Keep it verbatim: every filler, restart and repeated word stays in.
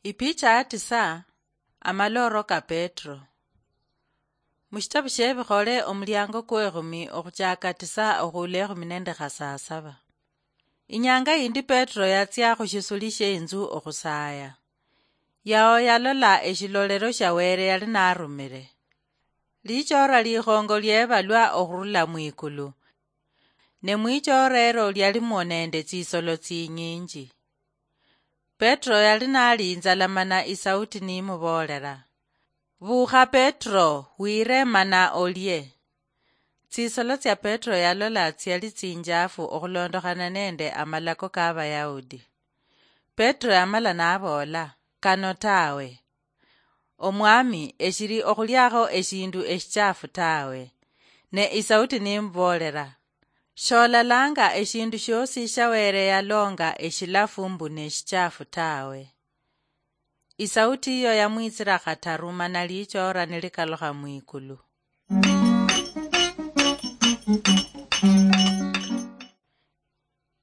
Ipicha ya tisa. Amalooro ka Petro. Mushitabu shie Bikhole, omuliango kwekhumi, okhuchaka tisa okhuula ekhumi nende khasasaba. Inyanga yindi Petro yatsia khushisuli shie inzu okhusaaya. Yao yalola eshilolero shia Wele yali narumire. Lichora likhongo liebalwa okhurula mwikulu, ne mwichora ero lialimwo nende tsisolo tsinyinji. Petro yali nali inzala mana isauti nimuboolera, "Buukha Petro, wiire mana olie." Tsisolo tsia Petro yalola tsiali tsinjafu okhulondokhana nende amalako ka Bayahudi. Petro yamala naboola, "Kano tawe. Omwami, eshili okhuliakho eshindu eshichafu tawe." Ne isauti nimuboolera, "Sholalanga eshindu shiosi sha Wele yalonga eshilafu mbu neshichafu tawe." Isauti iyo yamwitsira khataru mana lichora nilikalukha mwikulu.